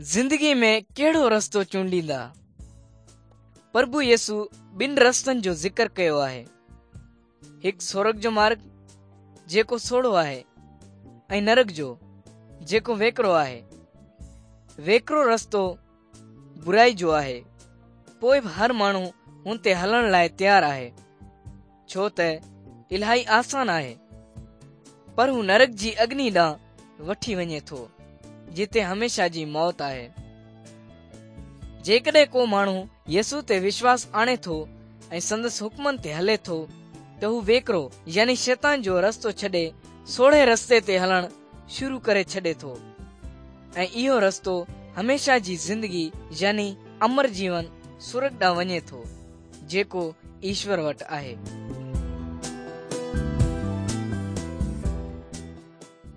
زندگي ۾ ڪهڙو رستو چونڊيندا؟ پرڀو يسوع ٻن رستن جو ذڪر ڪيو آهي. هڪ سورڳ جو مارڳ جيڪو سوڙهو آهي ۽ نرڳ جو جيڪو ويڪرو آهي. ويڪرو رستو برائي جو آهي پوء به هر ماڻهو هن تي هلڻ لاء تيار آهي ڇو ته الاهي آسان آهي پر هو نرڳ جي اگني ڏانهن وٺي وڃي ٿو، جتي هميشه جي موت آهي. جيڪڏهن ڪو ماڻهو يسوع تي وشواس آڻي ٿو ۽ سندس حڪمن تي هلي ٿو ته هو ويڪرو يعني شيطان جو رستو ڇڏي سوڙهي رستي تي هلڻ شروع ڪري ڇڏي ٿو ۽ اهو رستو هميشه جي زندگي يعني امر جيون سرڳ ڏانهن وڃي ٿو جيڪو ايشور وٽ آهي.